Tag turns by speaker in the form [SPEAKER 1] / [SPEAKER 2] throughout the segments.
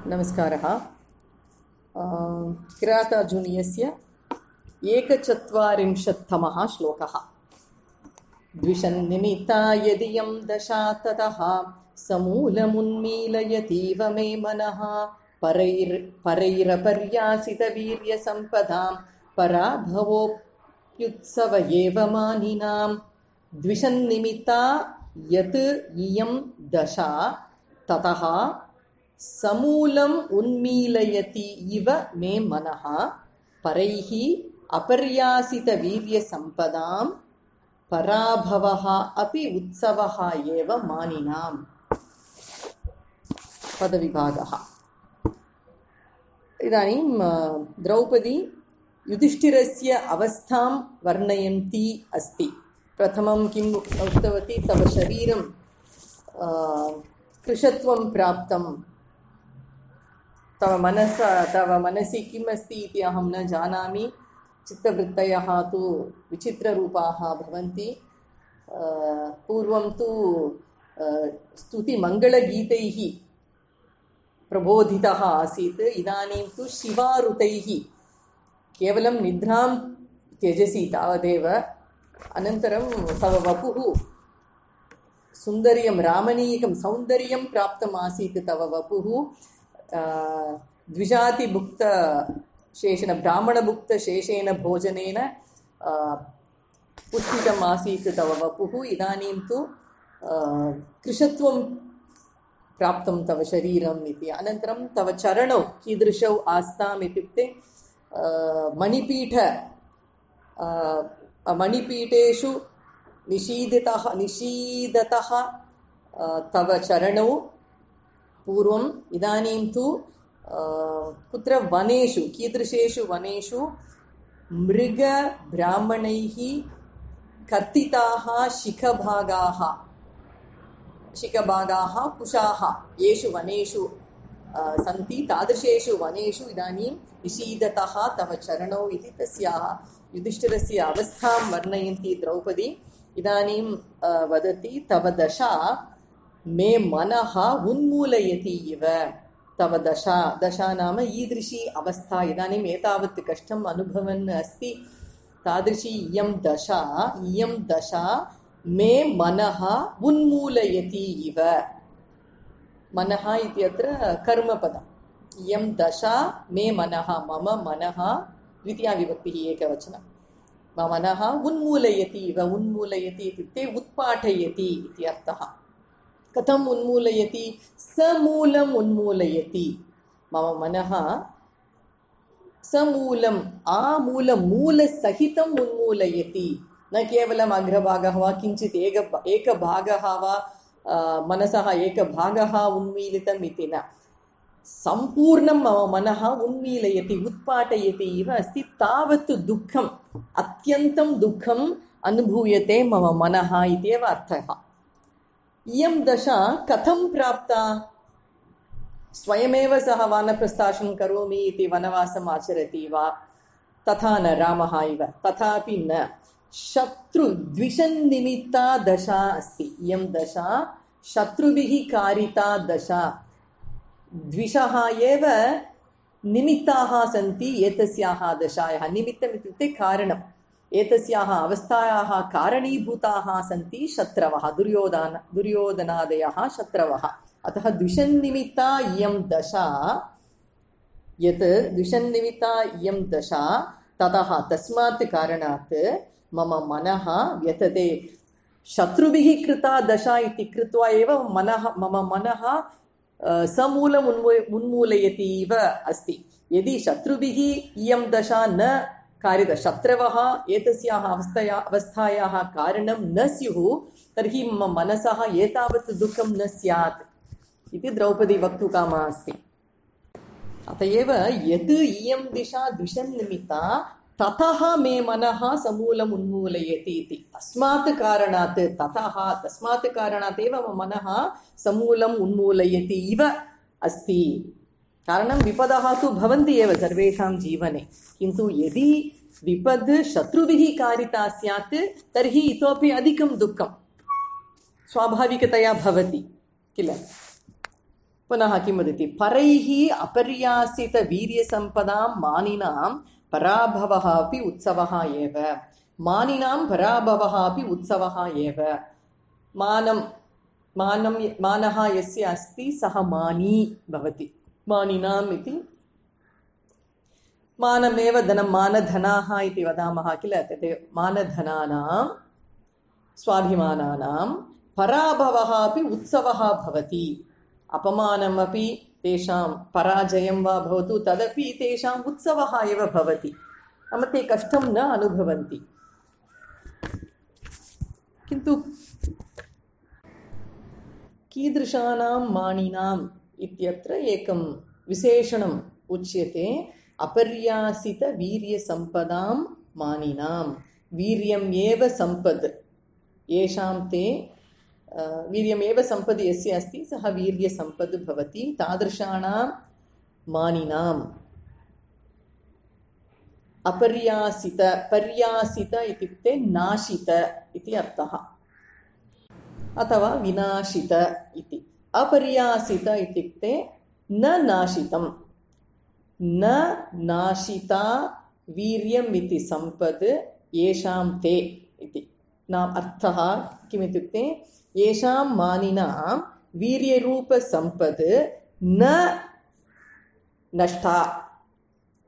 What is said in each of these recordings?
[SPEAKER 1] नमस्कारः। किरातार्जुनीयस्य 41तमः श्लोकः। द्विषन्निमित्ता यदियं दशा ततः समूलमुन्मीलयतीव मे मनः परैरपर्यासितवीर्यसम्पदां पराभवोऽप्युत्सव एव मानिनां। द्विषन्निमित्ता यत् इयं दशा ततः समूलम् उन्मीलयति इव मे मनः परैः अपर्यासितवीर्यसम्पदां पराभवः अपि उत्सवः एव मानिनाम्। पदविभागः। इदानीं द्रौपदी युधिष्ठिरस्य अवस्थां वर्णयन्ती अस्ति। प्रथमं किम् उक्तवती? तव शरीरं कृशत्वं प्राप्तं, तव मनसि किम् अस्ति इति अहं न जानामि। चित्तवृत्तयः तु विचित्ररूपाः भवन्ति। पूर्वं तु स्तुतिमङ्गलगीतैः प्रबोधितः आसीत्, इदानीं तु शिवारुतैः। केवलं निद्रां त्यजसि तावदेव। अनन्तरं तव वपुः सुन्दर्यं रामणीयकं सौन्दर्यं प्राप्तम् आसीत्। तव वपुः द्विजातिभुक्तशेषेण ब्राह्मणभुक्तशेषेण भोजनेन पुष्टितम् आसीत् तव वपुः। इदानीं तु कृशत्वं प्राप्तं तव शरीरम् इति। अनन्तरं तव चरणौ कीदृशौ आस्ताम् इत्युक्ते मणिपीठेषु निषीदतः तव चरणौ पूर्वम्। इदानीं तु कुत्र वनेषु, कीदृशेषु वनेषु मृगब्राह्मणैः कर्तिताः शिखभागाः कुशाः येषु वनेषु सन्ति, तादृशेषु वनेषु इदानीं निषीदतः तव चरणौ इति तस्याः युधिष्ठिरस्य अवस्थां वर्णयन्ती द्रौपदी। इदानीं वदति तव दशा मे मनः उन्मूलयति इव। तव दशा नाम ईदृशी अवस्था। इदानीम् एतावत् कष्टम् अनुभवन् अस्ति, तादृशी इयं दशा मे मनः उन्मूलयति इव। मनः इत्यत्र कर्मपदम्। इयं दशा मे मनः, मम मनः द्वितीया विभक्तिः एकवचनं। मम मनः उन्मूलयति इव। उन्मूलयति इत्युक्ते उत्पाठयति इति अर्थः। कथम् उन्मूलयति? समूलम् उन्मूलयति। मम मनः समूलम् मूलसहितम् उन्मूलयति। न केवलम् अग्रभागः वा किञ्चित् एकभागः वा मनसः एकभागः उन्मीलितम् इति न, सम्पूर्णं मम मनः उन्मीलयति, उत्पाटयति इव अस्ति। तावत् दुःखम्, अत्यन्तं दुःखम् अनुभूयते मम मनः इत्येव अर्थः। इयं दशा कथं प्राप्ता? स्वयमेव सः वानप्रस्थानं करोमि इति वनवासम् आचरति वा? तथा न, रामः इव तथापि न। द्विषन्निमित्ता दशा अस्ति। इयं दशा शत्रुभिः कारिता दशा। द्विषः एव निमित्ताः सन्ति एतस्याः दशायाः। निमित्तम् इत्युक्ते कारणम्। एतस्याः अवस्थायाः कारणीभूताः सन्ति शत्रवः, दुर्योधनादयः शत्रवः। अतः द्विषन्निमित्ता इयं दशा, यत् द्विषन्निमित्ता इयं दशा ततः तस्मात् कारणात् मम मनः व्यथते। शत्रुभिः कृता दशा इति कृत्वा एव मम मनः समूलम् उन्मूलयति इव अस्ति। यदि शत्रुभिः इयं दशा न कारिता, शत्रवः एतस्याः अवस्थायाः कारणं न स्युः, तर्हि मम मनसः एतावत् दुःखं न स्यात् इति द्रौपदी वक्तुकामा अस्ति। अत एव यत् इयं दिशा द्विषन्निमित्ता ततः मे मनः समूलम् उन्मूलयति इति। तस्मात् कारणात् एव मम मनः समूलम् उन्मूलयति इव अस्ति। कारणं विपदः तु भवन्ति एव सर्वेषां जीवने, किन्तु यदि विपद् शत्रुभिः कारिता स्यात् तर्हि इतोपि अधिकं दुःखं स्वाभाविकतया भवति किल। पुनः किं वदति? परैः अपर्यासितवीर्यसम्पदां मानिनां पराभवः अपि उत्सवः एव. मानिनां पराभवः अपि उत्सवः एव. मानः यस्य अस्ति सः मानी भवति. मानिनाम् इति मानमेव धनं, मानधनाः इति वदामः किल, तदेव मानधनानां स्वाभिमानानां पराभवः अपि उत्सवः भवति. अपमानमपि तेषां पराजयं वा भवतु तदपि तेषाम् उत्सवः एव भवति. नाम ते कष्टं न अनुभवन्ति. किन्तु कीदृशानां मानिनाम् इत्यत्र एकं विशेषणम् उच्यते. अपर्यासितवीर्यसम्पदां मानिनां. वीर्यम् एव सम्पद्, येषां ते वीर्यमेव सम्पद् यस्य अस्ति सः वीर्यसम्पद् भवति. तादृशानां मानिनाम्. अपर्यासित, पर्यासित इत्युक्ते नाशित इति अर्थः, अथवा विनाशित इति. अपर्यासित इत्युक्ते न नाशितं. न नाशिता वीर्यम् इति सम्पद् येषां ते इति. नाम अर्थः किमित्युक्ते येषां मानिनां वीर्यरूपसम्पद् न नष्टा,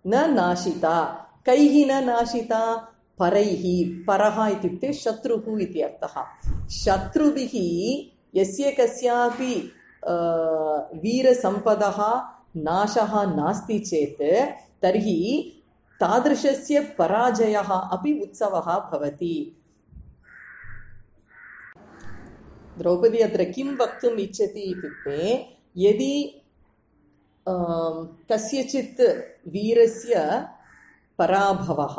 [SPEAKER 1] न नाशिता. कैः न नाशिता? परैः. परः इत्युक्ते शत्रुः इति अर्थः. शत्रुभिः यस्य कस्यापि वीरसम्पदः नाशः नास्ति चेत् तर्हि तादृशस्य पराजयः अपि उत्सवः भवति. द्रौपदी अत्र किं वक्तुम् इच्छति इत्युक्ते, यदि कस्यचित् वीरस्य पराभवः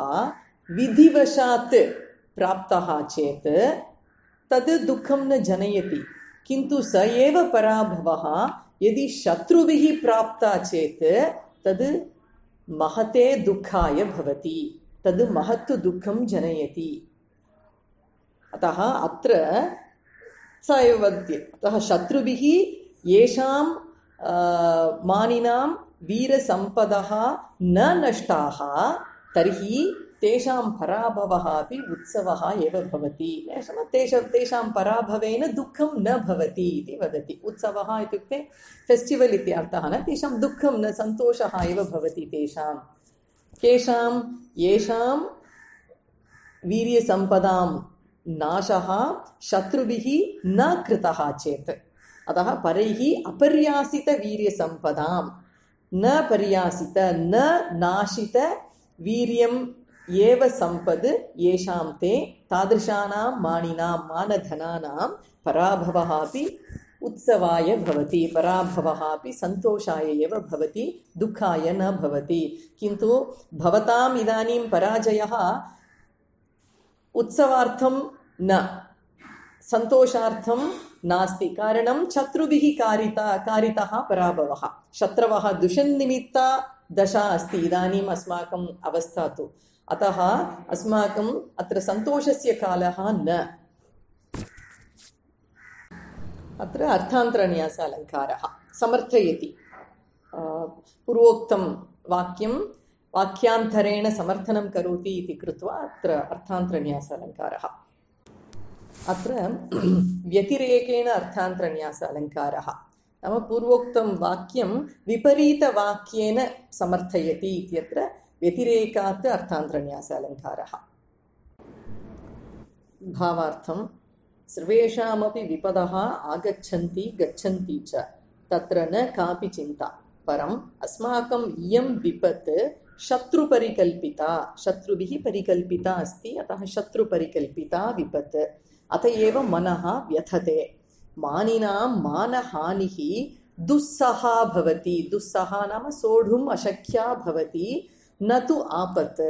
[SPEAKER 1] विधिवशात् प्राप्तः चेत् तद् दुःखं न जनयति. किन्तु स एव पराभवः यदि शत्रुभिः प्राप्ता चेत् तद् महते दुःखाय भवति. तद् महत् दुःखं जनयति. अतः अत्र स एव वदति. अतः शत्रुभिः येषां मानिनां वीरसम्पदः न नष्टाः तर्हि तेषां पराभवः अपि उत्सवः एव भवति. तेषां पराभवेन दुःखं न भवति इति वदति. उत्सवः इत्युक्ते फेस्टिवल् इति अर्थः न. तेषां दुःखं न, सन्तोषः एव भवति तेषां. केषां? येषां वीर्यसम्पदां नाशः शत्रुभिः न कृतः चेत्. अतः परैः अपर्यासितवीर्यसम्पदां, न पर्यासित न नाशित वीर्यम् एव सम्पद् येषां ते, तादृशानां मानिनां मानधनानां पराभवः अपि उत्सवाय भवति. पराभवः अपि सन्तोषाय एव भवति, दुःखाय न भवति. किन्तु भवताम् इदानीं पराजयः उत्सवार्थं न, सन्तोषार्थं नास्ति. कारणं शत्रुभिः कारितः पराभवः. शत्रवः दुषन्निमित्ता दशा अस्ति इदानीम् अस्माकम् अवस्था तु. अतः अस्माकम् अत्र सन्तोषस्य कालः न. अत्र अर्थान्तरन्यास अलङ्कारः समर्थयति. पूर्वोक्तं वाक्यं वाक्यान्तरेण समर्थनं करोति इति कृत्वा अत्र अर्थान्तरन्यास अलङ्कारः. अत्र व्यतिरेकेण अर्थान्तरन्यास अलङ्कारः नाम पूर्वोक्तं वाक्यं विपरीतवाक्येन समर्थयति इत्यत्र व्यतिरेकात् अर्थान्तरन्यास अलङ्कारः. भावार्थं सर्वेषामपि विपदः आगच्छन्ति गच्छन्ति च, तत्र न कापि चिन्ता. परम् अस्माकम् इयं विपत् शत्रुपरिकल्पिता, शत्रुभिः परिकल्पिता अस्ति. अतः शत्रुपरिकल्पिता विपत्. अत एव मनः व्यथते. मानिनां मानहानिः दुस्सहा भवति. दुस्सहा नाम सोढुम् अशक्या भवति, न तु आपत्.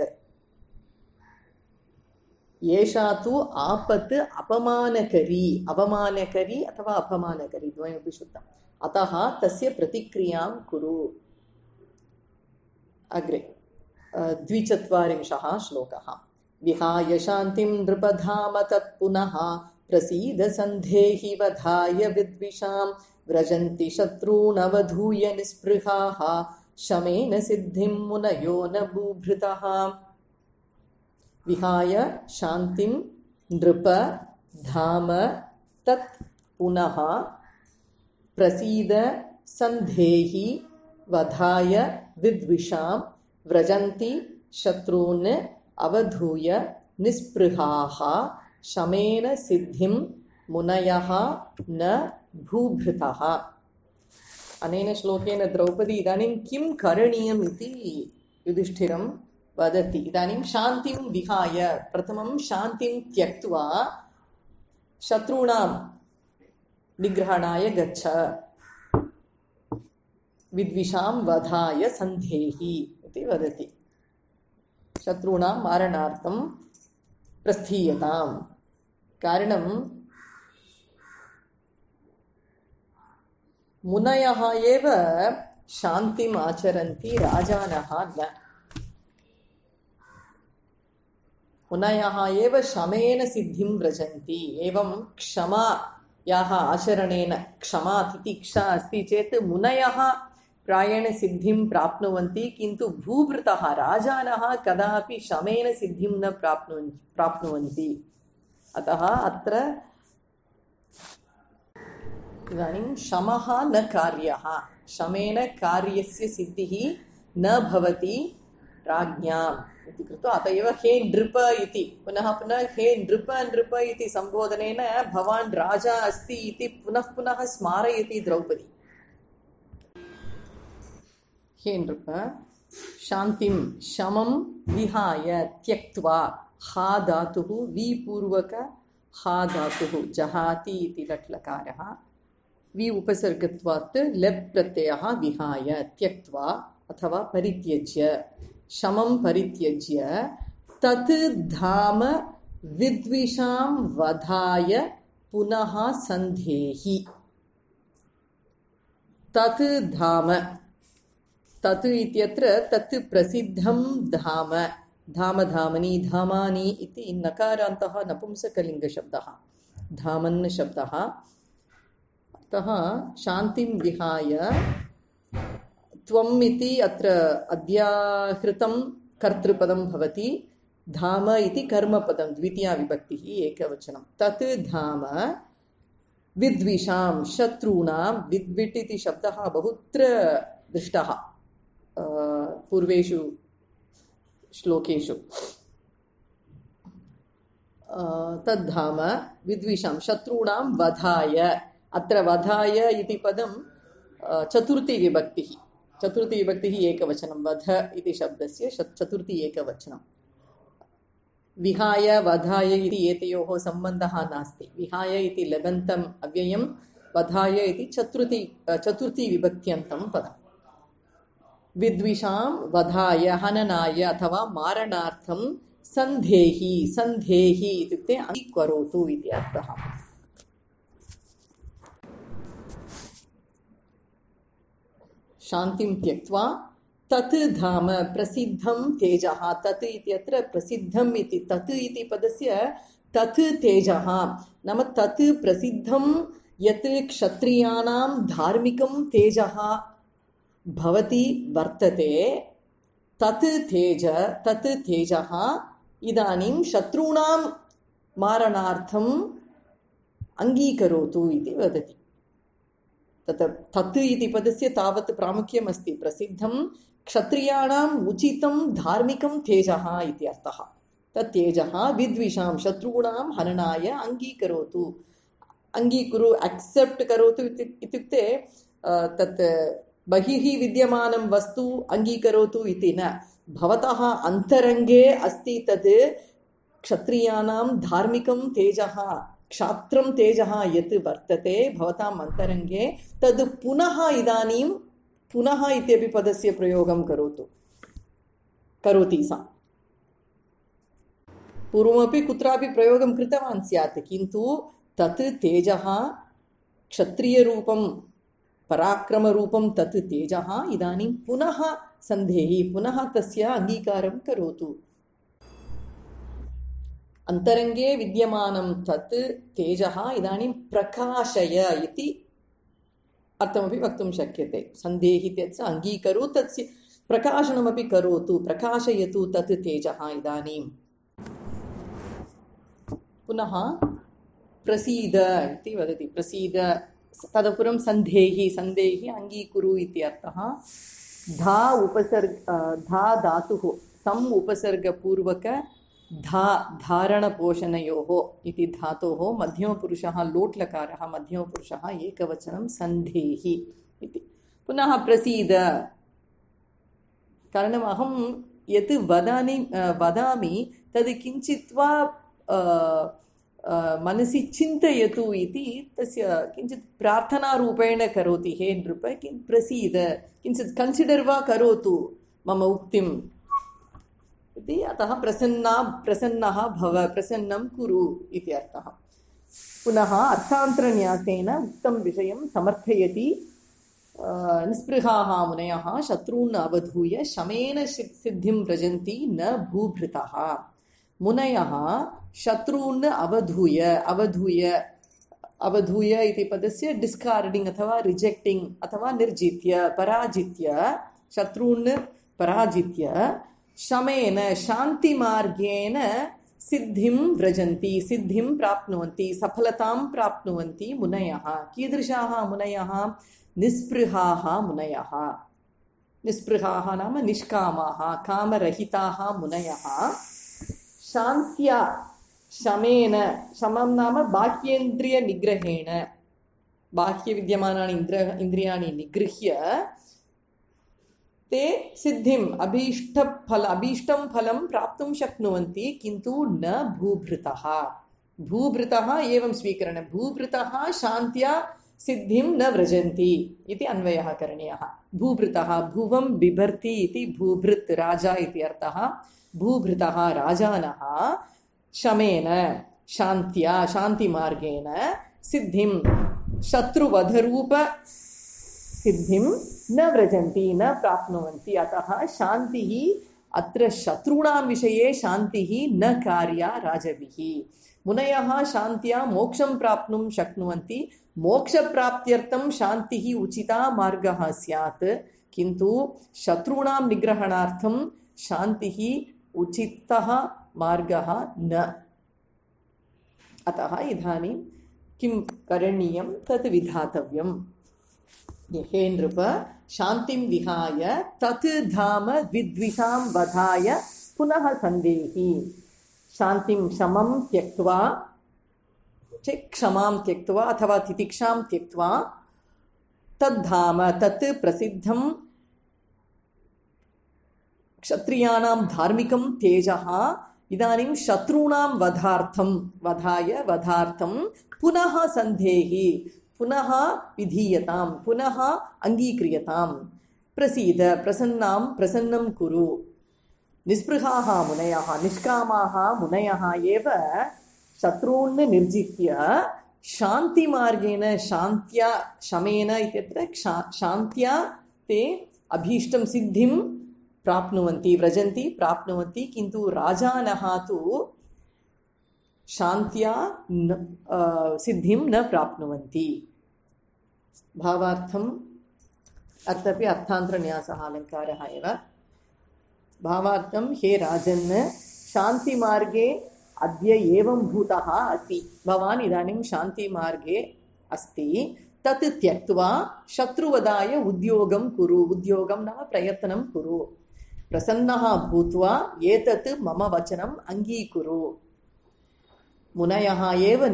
[SPEAKER 1] एषा तु आपत् अपमानकरी, अवमानकरी अथवा अपमानकरी द्वयमपि शुद्धम्. अतः तस्य प्रतिक्रियां कुरु. अग्रे 24 श्लोकः. विहाय शान्तिं नृपधाम तत्पुनः प्रसीद सन्धेहि वधाय विद्विषां व्रजन्ति शत्रूनवधूय निःस्पृहाः शमेन सिद्धिं मुनयो न बुभृतः विहाय शान्तिं नृप धाम तत् पुनः प्रसीद सन्धेहि वधाय विद्विषां व्रजन्ति शत्रून् अवधूय निःस्पृहाः शमेन सिद्धिं मुनयः न भूभृतः। अनेन श्लोकेन द्रौपदी इदानीं किं करणीयम् इति युधिष्ठिरं वदति। इदानीं शान्तिं विहाय प्रथमं शान्तिं त्यक्त्वा शत्रूणां निग्रहणाय गच्छ, विद्विषां वधाय सन्धेहि इति वदति। शत्रूणां मारणार्थं प्रस्थीयताम्। कारणं मुनयः एव शान्तिम् आचरन्ति, राजानः न। मुनयः एव शमेन सिद्धिं व्रजन्ति। एवं क्षमायाः आचरणेन, क्षमा तितिक्षा अस्ति चेत् मुनयः प्रायेण सिद्धिं प्राप्नुवन्ति, किन्तु भूभृतः राजानः कदापि शमेन सिद्धिं न प्राप्नुवन्ति। अतः अत्र इदानीं शमः न कार्यः, शमेन कार्यस्य सिद्धिः न भवति राज्ञाम् इति कृत्वा अत एव हे नृप इति पुनः पुनः हे नृप नृप इति सम्बोधनेन भवान् राजा अस्ति इति पुनः पुनः स्मारयति द्रौपदी। हे नृप शान्तिं शमं विहाय त्यक्त्वा, हा धातुः विपूर्वक हा धातुः जहाति इति लट्लकारः, वि उपसर्गत्वात् लेप् प्रत्ययः विहाय त्यक्त्वा अथवा परित्यज्य, शमं परित्यज्य तत् धाम विद्विषां वधाय पुनः सन्धेहि। तत् धाम, तत् इत्यत्र तत् प्रसिद्धं धाम, धाम धामनि धामानि इति नकारान्तः नपुंसकलिङ्गशब्दः, धामन् शब्दः। अतः शान्तिं विहाय त्वम् इति अत्र अध्याहृतं कर्तृपदं भवति, धाम इति कर्मपदं द्वितीया विभक्तिः एकवचनं। तत् धाम विद्विषां शत्रूणां, विद्विट् इति शब्दः बहुत्र दृष्टः पूर्वेषु श्लोकेषु। तद्धाम विद्विषां शत्रूणां वधाय, अत्र वधाय इति पदं चतुर्थी विभक्तिः, चतुर्थी विभक्तिः एकवचनं, वध इति शब्दस्य चतुर्थी एकवचनं। विहाय वधाय इति एतयोः सम्बन्धः नास्ति। विहाय इति लबन्तम् अव्ययं, वधाय इति चतुर्थी विभक्त्यन्तं पदम्। विद्विषां वधाय हननाय अथवा मारणार्थं सन्धेहि, सन्धेहि इत्युक्ते अङ्गीकरोतु इति अर्थः। शान्तिं त्यक्त्वा तत् धाम प्रसिद्धं तेजः, तत् इत्यत्र प्रसिद्धम् इति, तत् इति पदस्य तत् तेजः नाम तत् प्रसिद्धं यत् क्षत्रियाणां धार्मिकं तेजः भवति वर्तते, तत् तेजः इदानीं शत्रूणां मारणार्थम् अङ्गीकरोतु इति वदति। तत् इति पदस्य तावत् प्रामुख्यम् अस्ति। प्रसिद्धं क्षत्रियाणाम् उचितं धार्मिकं तेजः इति अर्थः। तत् तेजः विद्विषां शत्रूणां हननाय अङ्गीकरोतु, अङ्गीकुरु एक्सेप्ट् करोतु इत्युक्ते तत् बहिः विद्यमानं वस्तु अङ्गीकरोतु इति न, भवतः अन्तरङ्गे अस्ति तद् क्षत्रियाणां धार्मिकं तेजः, क्षात्रं तेजः यत् वर्तते भवताम् अन्तरङ्गे, तद् पुनः इदानीं पुनः इत्यपि पदस्य प्रयोगं करोति सा। पूर्वमपि कुत्रापि प्रयोगं कृतवान् स्यात्, किन्तु तत् तेजः क्षत्रियरूपं पराक्रमरूपं तत् तेजः इदानीं पुनः सन्धेहि, पुनः तस्य अङ्गीकारं करोतु। अन्तरङ्गे विद्यमानं तत् तेजः इदानीं प्रकाशय इति अर्थमपि वक्तुं शक्यते। सन्धेहि इत्यस्य अङ्गीकरो तस्य प्रकाशनमपि करोतु, प्रकाशयतु तत् तेजः। इदानीं पुनः प्रसीद इति वदति। प्रसीद, तदुपरं सन्धेहि, सन्धेहि अङ्गीकुरु इति अर्थः। धा धा धातुः सम् उपसर्गपूर्वक धा धारणपोषणयोः इति धातोः मध्यमपुरुषः लोट्लकारः, मध्यमपुरुषः एकवचनं सन्धेहि इति। पुनः प्रसीद, कारणम् अहं यत् वदामि तद् किञ्चित् वा मनसि चिन्तयतु इति तस्य किञ्चित् प्रार्थनारूपेण करोति। हे नृप प्रसीद, किञ्चित् कन्सिडर् वा करोतु मम उक्तिम् इति। अतः प्रसन्नः भव, प्रसन्नं कुरु इति अर्थः। पुनः अर्थान्तरन्यासेन उक्तं विषयं समर्थयति। निःस्पृहाः मुनयः शत्रून् अवधूय शमेन सिद्धिं व्रजन्ति न भूभृतः। मुनयः शत्रून् अवधूय इति पदस्य डिस्कार्डिङ्ग् अथवा रिजेक्टिङ्ग् अथवा निर्जित्य, पराजित्य, शत्रून् पराजित्य, शमेन शान्तिमार्गेण सिद्धिं व्रजन्ति, सिद्धिं प्राप्नुवन्ति, सफलतां प्राप्नुवन्ति मुनयः। कीदृशाः मुनयः? निःस्पृहाः मुनयः। निःस्पृहाः नाम निष्कामाः, कामरहिताः मुनयः। शान्त्या, शमेन, शमं नाम बाह्येन्द्रियनिग्रहेण, बाह्यविद्यमानानि इन्द्रियाणि निगृह्य ते सिद्धिम् अभीष्टं फलं प्राप्तुं शक्नुवन्ति, किन्तु न भूभृतः। भूभृतः एवं स्वीकरणं, भूभृतः शान्त्या सिद्धिं न व्रजन्ति इति अन्वयः करणीयः। भूभृतः, भुवं बिभर्ति इति भूभृत् राजा इति अर्थः। भूभृतः राजानः शमेन शान्त्या, शान्तिमार्गेण सिद्धिं, शत्रुवधरूप सिद्धिं न व्रजन्ति, न प्राप्नुवन्ति। अतः शान्तिः, अत्र शत्रूणां विषये शान्तिः न कार्या राजभिः। मुनयः शान्त्या मोक्षं प्राप्नुं शक्नुवन्ति। मोक्षप्राप्त्यर्थं शान्तिः उचिता मार्गः स्यात्, किन्तु शत्रूणां निग्रहणार्थं शान्तिः उचितः मार्गः न। अतः इदानीं किं करणीयं तत् विधातव्यम्। हे नृप, शान्तिं विहाय तत् धाम विद्विषां वधाय पुनः सन्देहि। शान्तिं शमं त्यक्त्वा, क्षमां त्यक्त्वा अथवा तितिक्षां त्यक्त्वा, तद्धाम, तत् प्रसिद्धं क्षत्रियाणां धार्मिकं तेजः इदानीं शत्रूणां वधार्थं पुनः सन्धेहि, पुनः विधीयतां, पुनः अङ्गीक्रियतां। प्रसीद, प्रसन्नं कुरु। निःस्पृहाः मुनयः, निष्कामाः मुनयः एव शत्रून् निर्जित्य शान्तिमार्गेण, शान्त्या, शमेन इत्यत्र शान्त्या ते अभीष्टं सिद्धिं प्राप्नुवन्ति, व्रजन्ति, प्राप्नुवन्ति, किन्तु राजानः तु शान्त्या सिद्धिं न प्राप्नुवन्ति। भावार्थम् अर्थापि अर्थान्तरन्यासः अलङ्कारः एव। भावार्थं, हे राजन्, शान्तिमार्गे अद्य एवं भूतः असि, भवान् इदानीं शान्तिमार्गे अस्ति, तत् त्यक्त्वा शत्रुवधाय उद्योगं कुरु। उद्योगं नाम प्रयत्नं कुरु। प्रसन्नः भूत्वा एतत् मम वचनम् अङ्गीकुरु। मुनयः एव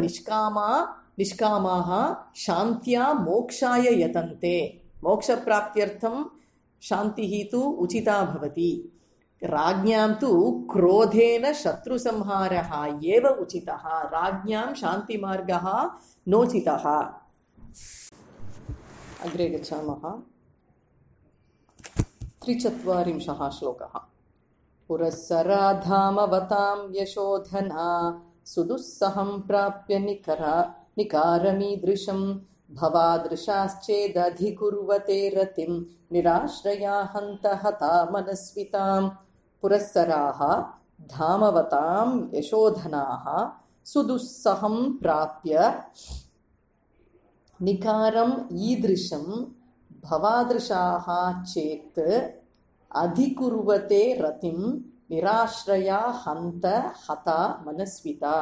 [SPEAKER 1] निष्कामाः शान्त्या मोक्षाय यतन्ते। मोक्षप्राप्त्यर्थं शान्तिः तु उचिता भवति। राज्ञां तु क्रोधेन शत्रुसंहारः एव उचितः। राज्ञां शान्तिमार्गः नोचितः। अग्रे गच्छामः। 43 श्लोकः। पुरःसराधामवतां यशोधना सुदुस्सहं प्राप्य निकारमीदृशं भवादृशाश्चेदधिकुर्वते रतिं निराश्रया हन्त हता मनस्वितां। पुरःसराः धामवतां यशोधनाः सुदुस्सहं प्राप्य निकारम् ईदृशं भवादृशाः चेत् अधिकुर्वते रतिं निराश्रया हन्त हता मनस्विता.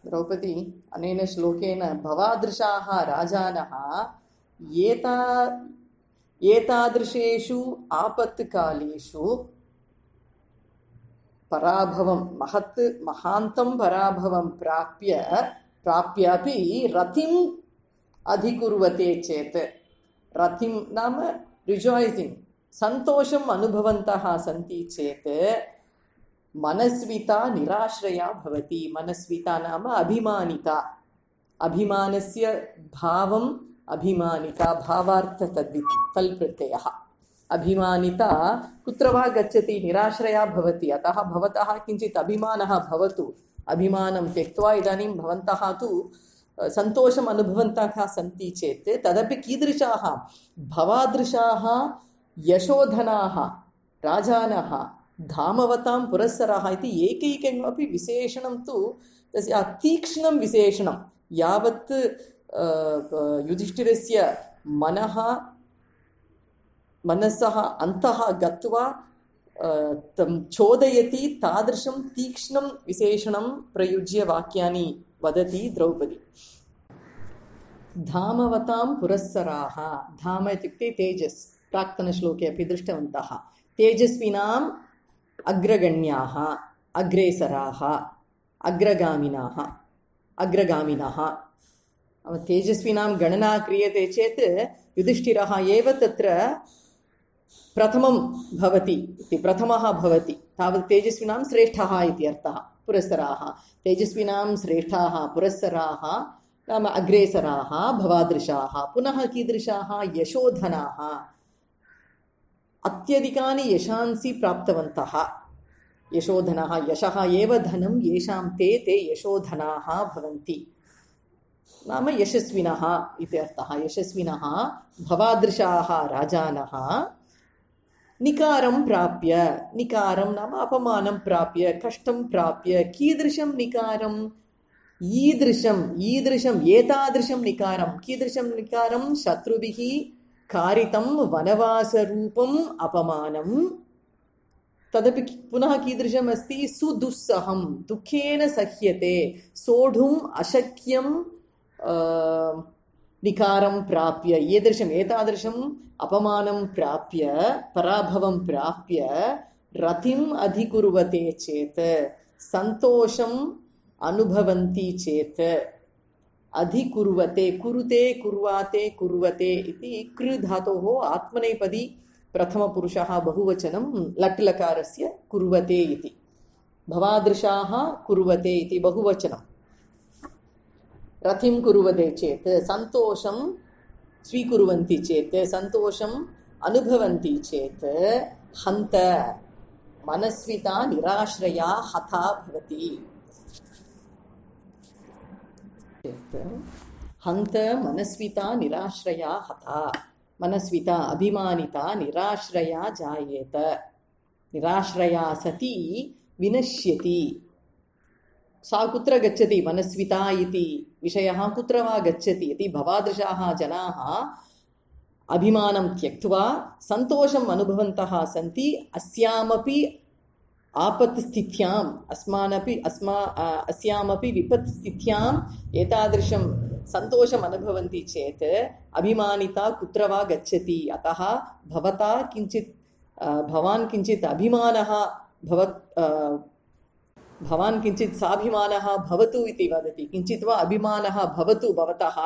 [SPEAKER 1] द्रौपदी अनेन श्लोकेन भवादृशाः राजानः एतादृशेषु आपत्कालेषु पराभवं महान्तं पराभवं प्राप्यापि रतिम् अधिकुर्वते चेत्, रतिं नाम रिजाय्सिङ्ग्, सन्तोषम् अनुभवन्तः सन्ति चेत् मनस्विता निराश्रया भवति. मनस्विता नाम अभिमानिता, अभिमानस्य भावम् अभिमानिता, भावार्थ तल्प्रत्ययः. अभिमानिता कुत्र वा गच्छति निराश्रया भवति. अतः भवतः किञ्चित् अभिमानः भवतु. अभिमानं त्यक्त्वा इदानीं भवन्तः तु सन्तोषम् अनुभवन्तः सन्ति चेत् तदपि कीदृशाः भवादृशाः यशोधनाः राजानः धामवतां पुरस्सराः इति एकैकमपि विशेषणं तु तस्य तीक्ष्णं विशेषणं. यावत् युधिष्ठिरस्य मनसः अन्तः गत्वा तं चोदयति, तादृशं तीक्ष्णं विशेषणं प्रयुज्य वाक्यानि वदति द्रौपदी. धामवतां पुरस्सराः, धाम इत्युक्ते तेजस्, प्राक्तनश्लोके अपि दृष्टवन्तः. तेजस्विनाम् अग्रगण्याः, अग्रेसराः, अग्रगामिनः. तेजस्विनां गणना क्रियते चेत् युधिष्ठिरः एव तत्र प्रथमं भवति इति, प्रथमः भवति. तावत् तेजस्विनां श्रेष्ठः इति अर्थः. पुरस्सराः, तेजस्विनां श्रेष्ठाः पुरस्सराः नाम अग्रेसराः भवादृशाः. पुनः कीदृशाः यशोधनाः, अत्यधिकानि यशांसि प्राप्तवन्तः. यशोधनाः, यशः एव धनं येषां ते यशोधनाः भवन्ति नाम यशस्विनः इति अर्थः. यशस्विनः भवादृशाः राजानः निकारं प्राप्य, निकारं नाम अपमानं प्राप्य, कष्टं प्राप्य. कीदृशं निकारम्? ईदृशम् एतादृशं निकारं. कीदृशं निकारं? शत्रुभिः कारितं वनवासरूपम् अपमानं. तदपि पुनः कीदृशम् अस्ति? सुदुस्सहं, दुःखेन सह्यते, सोढुम् अशक्यं निकारं प्राप्य. एतादृशम् अपमानं प्राप्य, पराभवं प्राप्य रतिम् अधिकुर्वते चेत्, सन्तोषम् अनुभवन्ति चेत्, अधिकुर्वते, कुरुते, कुर्वाते, कुर्वते इति कृ धातोः आत्मनेपदी प्रथमपुरुषः बहुवचनं लट् लकारस्य कुर्वते इति. भवादृशाः कुर्वते इति बहुवचनं. रतिं कुर्वते चेत्, सन्तोषं स्वीकुर्वन्ति चेत्, सन्तोषम् अनुभवन्ति चेत्, हन्त मनस्विता निराश्रया हता भवति. हन्त मनस्विता निराश्रया हता. मनस्विता अभिमानिता निराश्रया जायेत. निराश्रया सती विनश्यति. सा कुत्र गच्छति? मनस्विता इति विषयः कुत्र वा गच्छति इति भवादृशाः जनाः अभिमानं त्यक्त्वा सन्तोषम् अनुभवन्तः सन्ति. अस्यामपि आपत्स्थित्याम्, अस्यामपि विपत्स्थित्याम् एतादृशं सन्तोषम् अनुभवन्ति चेत् अभिमानिता कुत्र वा गच्छति. अतः भवान् किञ्चित् अभिमानः भवान् किञ्चित् साभिमानः भवतु इति वदति. किञ्चित् वा अभिमानः भवतु भवतः,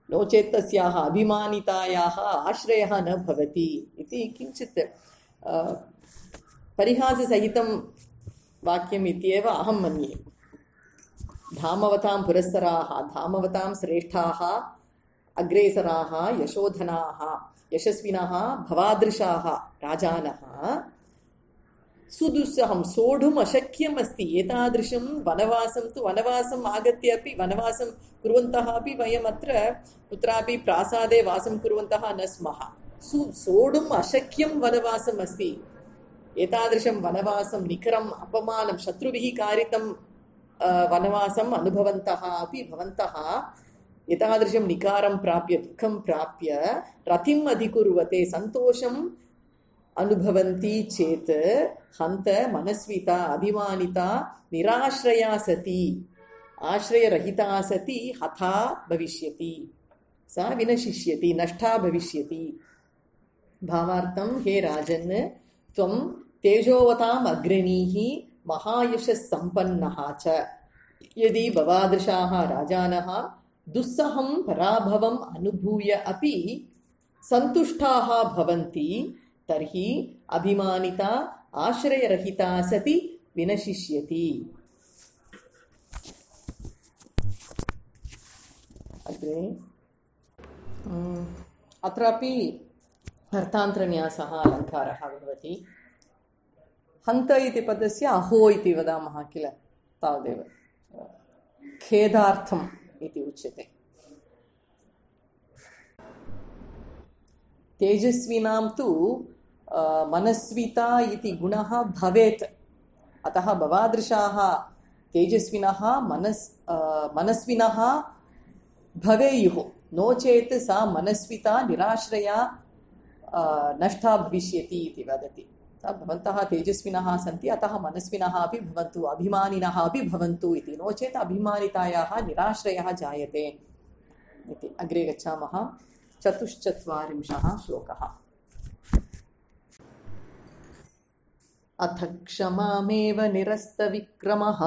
[SPEAKER 1] नो चेत् तस्याः अभिमानितायाः आश्रयः न भवति इति किञ्चित् परिहाससहितं वाक्यम् इत्येव अहं मन्ये. धामवतां पुरस्सराः, धामवतां श्रेष्ठाः, अग्रेसराः, यशोधनाः, यशस्विनः, भवादृशाः राजानः सुदुस्सहं, सोढुम् अशक्यम् अस्ति. एतादृशं वनवासं तु, वनवासम् आगत्य अपि, वनवासं कुर्वन्तः अपि वयम् अत्र कुत्रापि प्रासादे वासं कुर्वन्तः न स्मः. सोढुम् अशक्यं वनवासम् अस्ति. एतादृशं वनवासं, निकरम् अपमानं, शत्रुभिः कारितं वनवासम् अनुभवन्तः अपि भवन्तः एतादृशं निकारं प्राप्य दुःखं प्राप्य रतिम् अधिकुर्वते सन्तोषम् अनुभवन्ति चेत् हन्त मनस्विता अभिमानिता निराश्रया सती आश्रयरहिता सती हता भविष्यति सा विनशिष्यति नष्टा भविष्यति भावार्थं हे राजन् त्वं तेजोवताम् अग्रणीः महायशः सम्पन्नः च यदि भवादृशाः राजानः दुस्सहं पराभवम् अनुभूय अपि सन्तुष्टाः भवन्ति तर्हि अभिमानिता आश्रयरहिता सति विनशिष्यति। अग्रे अत्रापि अर्थान्तरन्यासः अलङ्कारः भवति। हन्त इति पदस्य अहो इति वदामः किल तावदेव खेदार्थम् इति उच्यते। तेजस्विनां तु मनस्विता इति गुणः भवेत् अतः भवादृशाः तेजस्विनः मनस्विनः भवेयुः नो चेत् सा मनस्विता निराश्रया नष्टा भविष्यति इति वदति। भवन्तः तेजस्विनः सन्ति अतः मनस्विनः अपि भवन्तु अभिमानिनः अपि भवन्तु इति नो चेत् अभिमानितायाः निराश्रयः जायते इति। अग्रे गच्छामः। 44 श्लोकः। अथ क्षमामेव निरस्तविक्रमः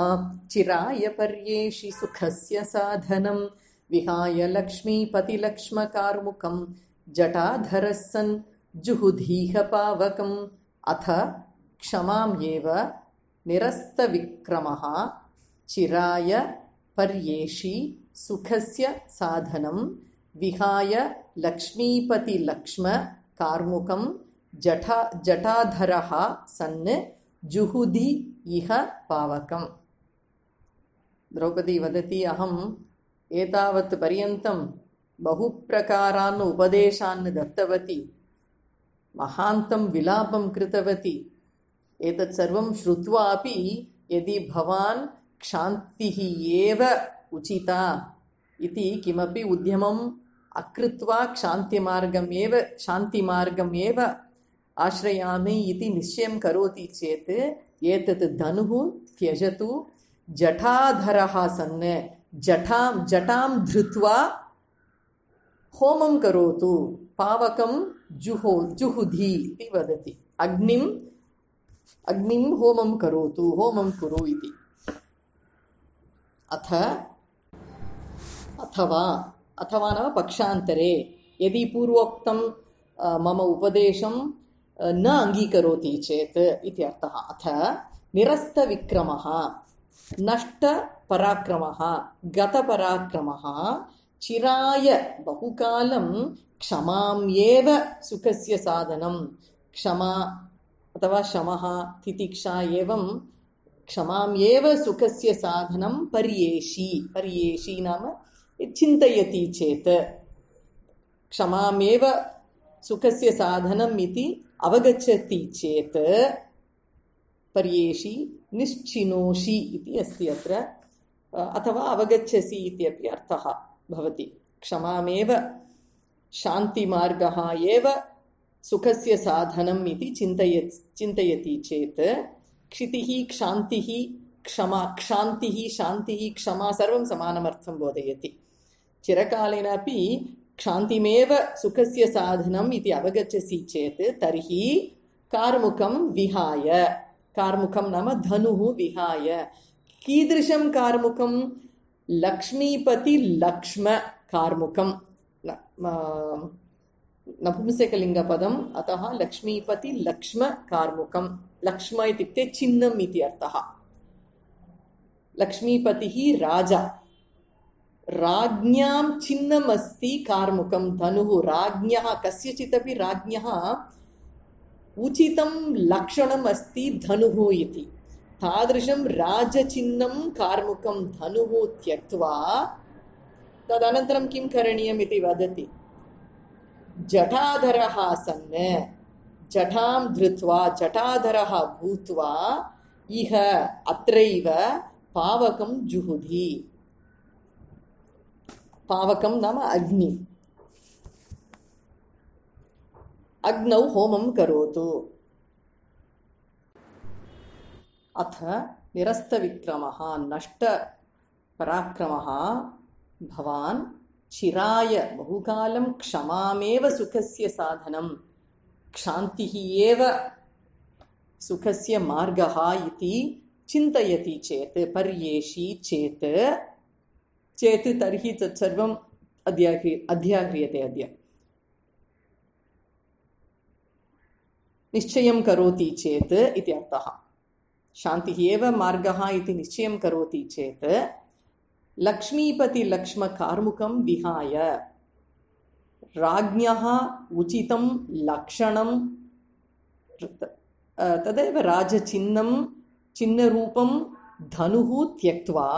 [SPEAKER 1] चिराय पर्येषि सुखस्य साधनं विहाय लक्ष्मीपतिलक्ष्मकार्मुकं जटाधरः सन् जुहुधीह पावकम्। अथ क्षमामेव निरस्तविक्रमः चिराय पर्येषि सुखस्य साधनं विहाय लक्ष्मीपतिलक्ष्मकार्मुकं जटाधरः सन् जुहुधि इह पावकम्। द्रौपदी वदति अहम् एतावत् पर्यन्तं बहुप्रकारान् उपदेशान् दत्तवती महान्तं विलापं कृतवती एतत् सर्वं श्रुत्वा अपि यदि भवान् क्षान्तिः एव उचिता इति किमपि उद्यमम् अकृत्वा शान्तिमार्गम् एव आश्रयामि इति निश्चयं करोति चेत् एतत् धनुः त्यजतु जटाधरः सन् जटां धृत्वा होमं करोतु पावकं जुहुधि इति वदति। अग्निं होमं करोतु होमं कुरु इति। अथवा नाम पक्षान्तरे यदि पूर्वोक्तं मम उपदेशं न अङ्गीकरोति चेत् इति अर्थः। अथ निरस्तविक्रमः नष्टपराक्रमः गतपराक्रमः चिराय बहुकालं क्षमाम्येव सुखस्य साधनं क्षमा अथवा शमः तितिक्षा एवं क्षमाम्येव सुखस्य साधनं पर्येषि नाम चिन्तयति चेत् क्षमामेव सुखस्य साधनम् इति अवगच्छति चेत् पर्येषि निश्चिनोषि इति अस्ति अत्र अथवा अवगच्छसि इत्यपि अर्थः भवति। क्षमामेव शान्तिमार्गः एव सुखस्य साधनम् इति चिन्तयति चेत् क्षितिः क्षान्तिः क्षमा क्षान्तिः शान्तिः क्षमा सर्वं समानमर्थं बोधयति। चिरकालेनापि क्षान्तिमेव सुखस्य साधनम् इति अवगच्छसि चेत् तर्हि कार्मुकं विहाय कार्मुकं नाम धनुः विहाय कीदृशं कार्मुकं लक्ष्मीपतिलक्ष्म कार्मुकं नपुंसकलिङ्गपदम् अतः लक्ष्मीपतिलक्ष्म कार्मुकं लक्ष्म इत्युक्ते चिह्नम् इति अर्थः। लक्ष्मीपतिः राजा राज्ञां चिह्नम् अस्ति कार्मुकं धनुः राज्ञः कस्यचिदपि राज्ञः उचितं लक्षणम् अस्ति धनुः इति तादृशं राजचिह्नं कार्मुकं धनुः त्यक्त्वा तदनन्तरं किं करणीयम् इति वदति। जटाधरः सन् जटां धृत्वा जटाधरः भूत्वा इह अत्रैव पावकं जुहुधि पावकं नाम अग्नि। अग्नौ होमं करोतु। अथ निरस्तविक्रमः नष्टपराक्रमः भवान् चिराय बहुकालं क्षमामेव सुखस्य साधनं, क्षान्तिः एव सुखस्य मार्गः इति चिन्तयति चेत्, पर्येषि चेत् तर्हि तत्सर्वम् अध्याह्रियते। अद्य निश्चयं करोति चेत् इति अर्थः। शान्तिः एव मार्गः इति निश्चयं करोति चेत् लक्ष्मीपतिलक्ष्मकार्मुकं विहाय राज्ञः उचितं लक्षणं तदेव राजचिह्नं चिह्नरूपं धनुः त्यक्त्वा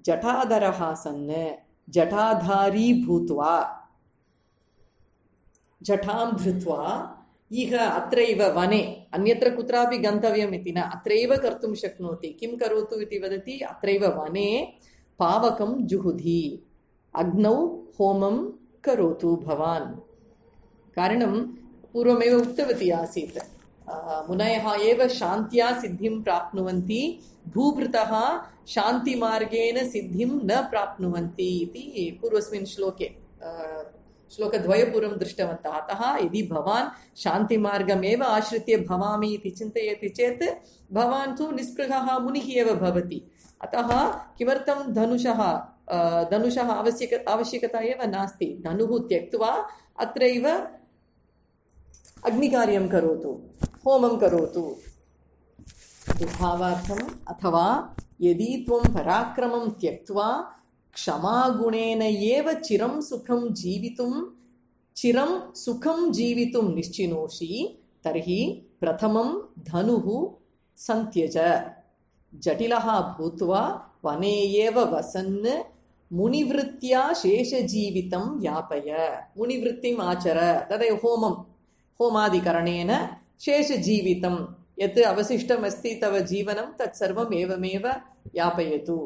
[SPEAKER 1] जटाधरः सन् जटाधारी भूत्वा जटां धृत्वा इह अत्रैव वने, अन्यत्र कुत्रापि गन्तव्यम् इति न, अत्रैव कर्तुं शक्नोति। किं करोतु इति वदति, अत्रैव वने पावकं जुहुधि, अग्नौ होमं करोतु भवान्। कारणं पूर्वमेव उक्तवती आसीत्, मुनयः एव शान्त्या सिद्धिं प्राप्नुवन्ति, भूभृतः शान्तिमार्गेण सिद्धिं न प्राप्नुवन्ति इति पूर्वस्मिन् श्लोके श्लोकद्वयपूर्वं दृष्टवन्तः। अतः यदि भवान् शान्तिमार्गमेव आश्रित्य भवामि इति चिन्तयति चेत् भवान् तु निस्पृहः मुनिः एव भवति। अतः किमर्थं धनुषः आवश्यकता एव नास्ति। धनुः त्यक्त्वा अत्रैव अग्निकार्यं करोतु, होमं करोतु। भावार्थम्, अथवा यदि त्वं पराक्रमं त्यक्त्वा क्षमागुणेन एव चिरं सुखं जीवितुं निश्चिनोषि तर्हि प्रथमं धनुः संत्यज, जटिलः भूत्वा वने एव वसन् मुनिवृत्त्या शेषजीवितं यापय। मुनिवृत्तिम् आचर, तदेव होमादिकरणेन शेषजीवितं यत् अवशिष्टमस्ति तव जीवनं तत्सर्वम् एवमेव यापयतु।